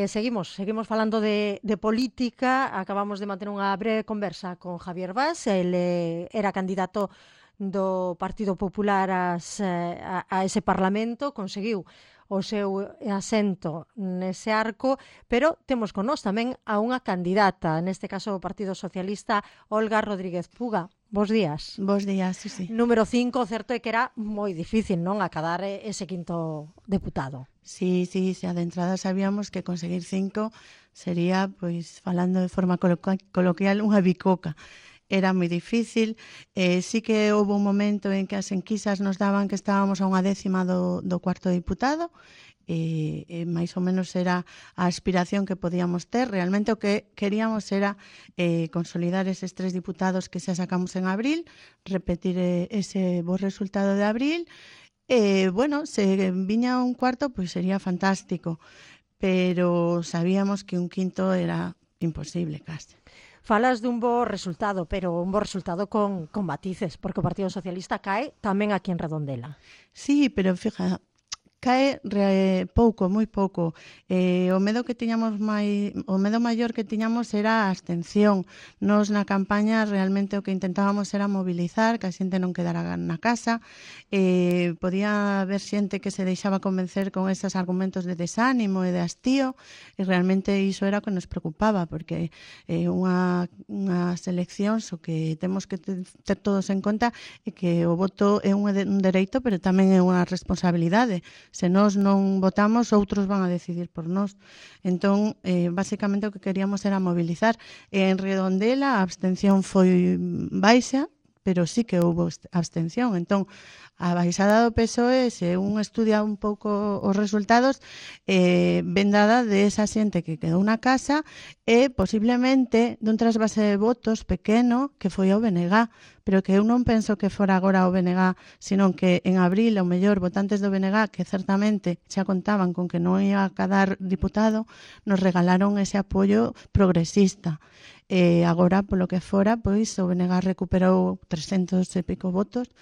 Seguimos falando de política. Acabamos de manter unha breve conversa con Javier Bas. Ele era candidato do Partido Popular a ese Parlamento, conseguiu o seu asento nese arco, pero temos con nós tamén a unha candidata, neste caso o Partido Socialista, Olga Rodríguez Puga. Bos días. Bos días, sí. Número 5, certo é que era moi difícil, non, acadar ese quinto deputado. Sí, xa de entrada sabíamos que conseguir 5 sería, pois, falando de forma coloquial, unha bicoca. Era moi difícil, sí que houve un momento en que as enquisas nos daban que estábamos a unha décima do cuarto diputado, máis ou menos era a aspiración que podíamos ter. Realmente o que queríamos era consolidar eses 3 diputados que xa sacamos en abril, repetir ese bo resultado de abril. Bueno, se viña un cuarto, pois sería fantástico, pero sabíamos que un quinto era imposible case. Falas dun bo resultado, pero un bo resultado con matices, porque o Partido Socialista cae tamén aquí en Redondela. Sí, pero fíjate, cae pouco, moi pouco. O medo maior que tiñamos era a abstención. Nos na campaña realmente o que intentábamos era mobilizar, que a xente non quedara na casa. Podía haber xente que se deixaba convencer con esos argumentos de desánimo e de hastío, e realmente iso era o que nos preocupaba, porque unhas eleccións o que temos que ter todos en conta é que o voto é un dereito, pero tamén é unha responsabilidade. Se nós non votamos, outros van a decidir por nós. Entón, basicamente o que queríamos era mobilizar. En Redondela a abstención foi baixa, pero sí que houve abstención. Entón, a baixada do PSOE, se un estudia un pouco os resultados, ven dada de esa xente que quedou na casa e posiblemente dun trasvase de votos pequeno que foi ao BNG, pero que eu non penso que fora agora o BNG, senón que en abril, ao mellor, votantes do BNG, que certamente xa contaban con que non ia a cadar diputado, nos regalaron ese apoio progresista. Agora, polo que fora, pois o BNG recuperou 300 e pico votos.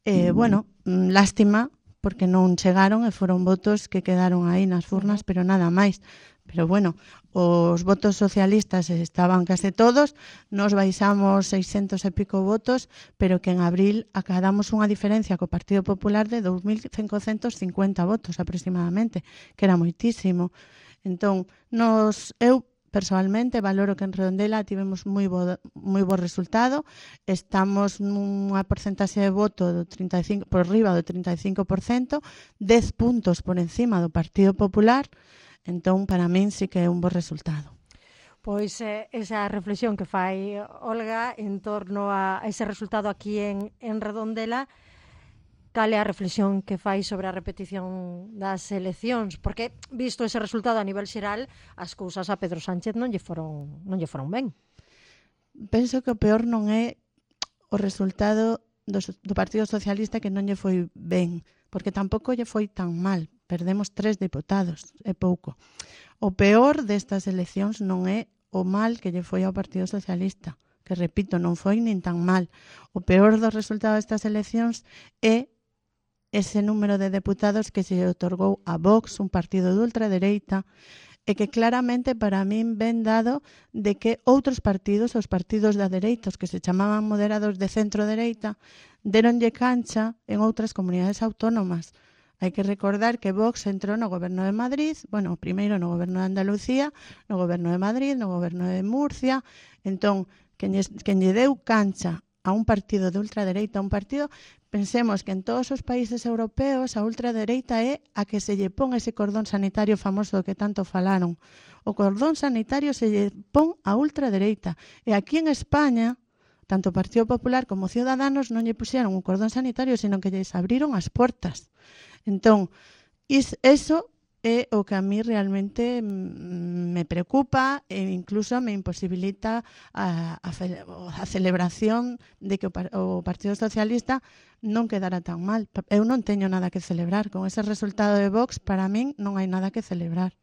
Bueno, lástima, porque non chegaron e foron votos que quedaron aí nas urnas, pero nada máis. Pero bueno, os votos socialistas estaban case todos, nos baixamos 600 e pico votos, pero que en abril acadamos unha diferencia co Partido Popular de 2.550 votos aproximadamente, que era moitísimo. Entón, eu personalmente valoro que en Redondela tivemos moi bo resultado. Estamos nunha porcentaxe de voto do 35, por riba do 35%, 10 puntos por encima do Partido Popular. Entón, para min sí que é un bo resultado. Pois esa reflexión que fai Olga en torno a ese resultado aquí en Redondela, cal é a reflexión que fai sobre a repetición das eleccións? Porque, visto ese resultado a nivel xeral, as cousas a Pedro Sánchez non lle foron ben. Penso que o peor non é o resultado do Partido Socialista, que non lle foi ben, porque tampouco lle foi tan mal. Perdemos 3 diputados, é pouco. O peor destas eleccións non é o mal que lle foi ao Partido Socialista, que, repito, non foi nin tan mal. O peor do resultado destas eleccións é ese número de deputados que se otorgou a Vox, un partido de ultradereita, e que claramente para min ven dado de que outros partidos, os partidos da dereita, os que se chamaban moderados de centro-dereita, deronlle cancha en outras comunidades autónomas. Hai que recordar que Vox entrou no goberno de Madrid, bueno, primeiro no goberno de Andalucía, no goberno de Madrid, no goberno de Murcia. Entón, quen lle deu cancha a un partido de ultradereita, a un partido, pensemos que en todos os países europeos a ultradereita é a que se lle pon ese cordón sanitario famoso do que tanto falaron. O cordón sanitario se lle pon a ultradereita. E aquí en España, tanto o Partido Popular como Ciudadanos non lle puxeron un cordón sanitario, sino que lles abriron as portas. Entón, iso é o que a mí realmente me preocupa e incluso me imposibilita a celebración de que o Partido Socialista non quedara tan mal. Eu non teño nada que celebrar. Con ese resultado de Vox, para min non hai nada que celebrar.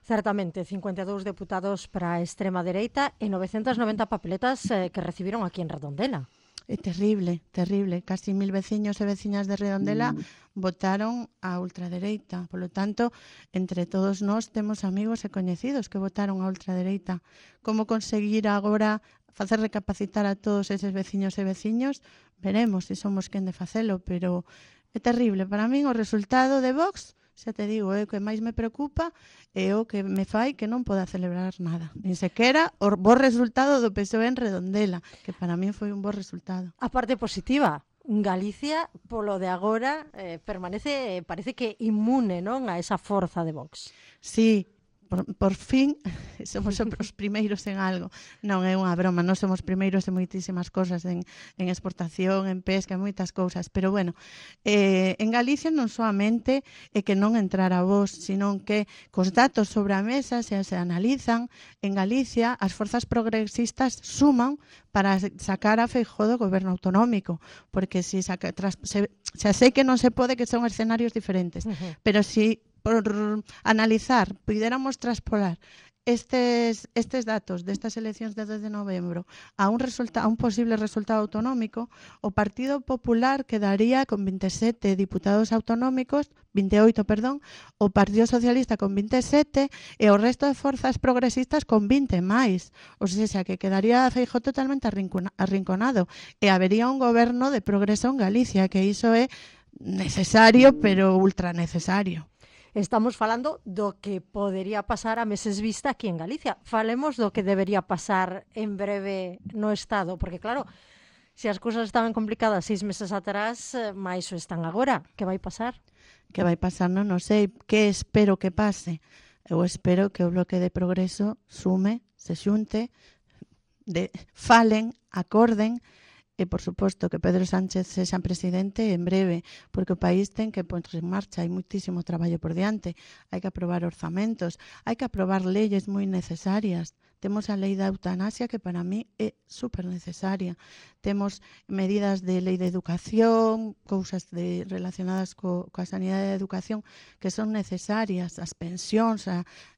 Certamente, 52 deputados para a extrema dereita e 990 papeletas que recibiron aquí en Redondela. é terrible, terrible. Casi 1000 veciños e veciñas de Redondela votaron a ultradereita. Polo tanto, entre todos nós temos amigos e coñecidos que votaron a ultradereita. Como conseguir agora facer recapacitar a todos eses veciños e veciños? Veremos se somos quen de facelo, pero é terrible. Para min o resultado de Vox, xa te digo, o que máis me preocupa é o que me fai que non poda celebrar nada. Nin sequera o bo resultado do PSOE en Redondela, que para min foi un bo resultado. A parte positiva, Galicia, polo de agora, parece que inmune, non, a esa forza de Vox. Sí, por fin somos os primeiros en algo. Non é unha broma, non somos primeiros en moitísimas cosas, en exportación, en pesca, en moitas cousas, pero bueno, en Galicia non soamente é que non entrara Vox, sino que cos datos sobre a mesa se analizan, en Galicia as forzas progresistas suman para sacar a Feijóo do goberno autonómico, porque se xa sei que non se pode, que son escenarios diferentes, pero si por analizar, puidéramos traspolar estes datos destas eleccións de 2 de novembro a un posible resultado autonómico, o Partido Popular quedaría con 27 diputados autonómicos, 28, perdón, o Partido Socialista con 27 e o resto de forzas progresistas con 20 máis. O sea, que quedaría Feijóo totalmente arrinconado e habería un goberno de progreso en Galicia, que iso é necesario, pero ultra necesario. Estamos falando do que podería pasar a meses vista aquí en Galicia. Falemos do que debería pasar en breve no Estado, porque claro, se as cousas estaban complicadas 6 meses atrás, máis o están agora. Que vai pasar? Que vai pasar non sei. Que espero que pase? Eu espero que o Bloque de Progreso sume, se xunte, falen, acorden, e, por suposto, que Pedro Sánchez sexa presidente en breve, porque o país ten que ponerse en marcha, hai moitísimo traballo por diante, hai que aprobar orzamentos, hai que aprobar leyes moi necesarias. Temos a lei da eutanasia, que para mí é super necesaria. Temos medidas de lei de educación, cousas relacionadas coa sanidade de educación que son necesarias, as pensións,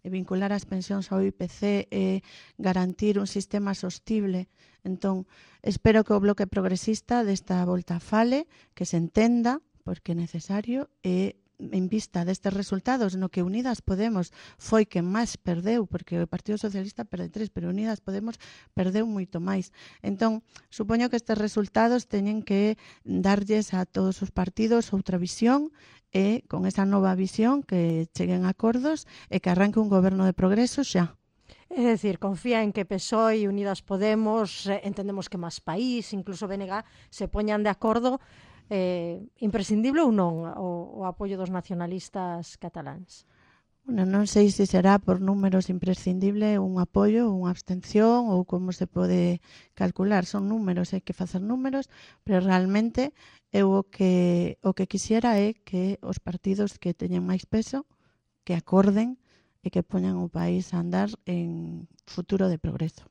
vincular as pensións ao IPC e garantir un sistema sostible. Entón, espero que o Bloque Progresista desta volta fale, que se entenda, porque é necesario, e en vista destes resultados no que Unidas Podemos foi que máis perdeu, porque o Partido Socialista perde 3, pero Unidas Podemos perdeu moito máis. Entón, supoño que estes resultados teñen que darlles a todos os partidos outra visión e con esa nova visión que cheguen a acordos e que arranque un goberno de progreso xa. É dicir, confía en que PSOE e Unidas Podemos, entendemos que máis país, incluso BNG, se poñan de acordo, imprescindible ou non o apoio dos nacionalistas cataláns? Bueno, non sei se será por números imprescindible un apoio, unha abstención ou como se pode calcular. Son números, hai que facer números, pero realmente eu o que quixera é que os partidos que teñen máis peso, que acorden e que poñan o país a andar en futuro de progreso.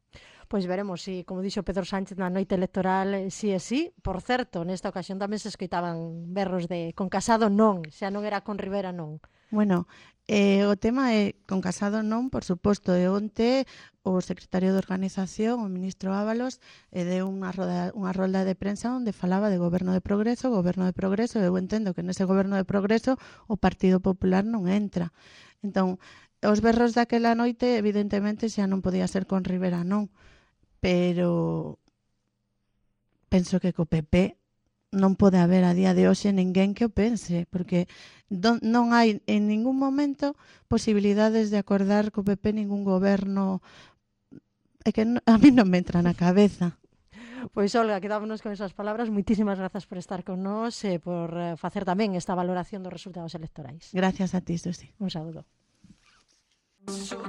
Pois veremos si, como dixo Pedro Sánchez na noite electoral, si é si. Por certo, nesta ocasión tamén se escoitaban berros de con Casado non, xa non era con Rivera non. Bueno, o tema é con Casado non, por suposto, e onte o secretario de Organización, o ministro Ábalos, deu unha rolda de prensa onde falaba de goberno de progreso, e eu entendo que nese goberno de progreso o Partido Popular non entra. Entón, os berros daquela noite, evidentemente, xa non podía ser con Rivera non, pero penso que co PP non pode haber a día de hoxe ninguén que o pense, porque non hai en ningún momento posibilidades de acordar co PP ningún goberno, é que a mí non me entra na cabeza. Pois, Olga, quedámonos con esas palabras. Moitísimas grazas por estar con nós e por facer tamén esta valoración dos resultados electorais. Gracias a ti, Susi. Un saúdo.